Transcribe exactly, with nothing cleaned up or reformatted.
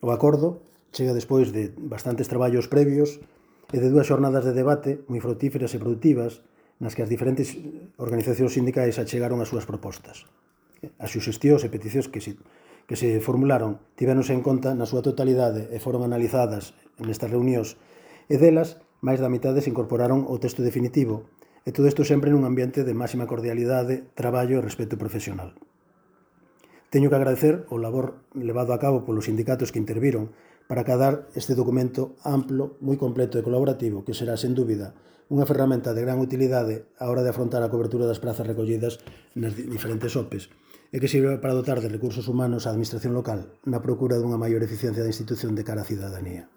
O acordo chega despois de bastantes traballos previos e de dúas xornadas de debate moi frutíferas e produtivas nas que as diferentes organizacións sindicais achegaron as súas propostas. As suxestións e peticións que se, que se formularon tivéronse en conta na súa totalidade e foron analizadas nestas reunións e delas máis da mitade se incorporaron ao texto definitivo e todo isto sempre nun ambiente de máxima cordialidade, traballo e respeto profesional. Teño que agradecer o labor levado a cabo polos sindicatos que interviron para acadar este documento amplo, moi completo e colaborativo que será, sen dúbida, unha ferramenta de gran utilidade á hora de afrontar a cobertura das prazas recollidas nas diferentes O P Es e que sirva para dotar de recursos humanos á administración local na procura dunha maior eficiencia da institución de cara á cidadanía.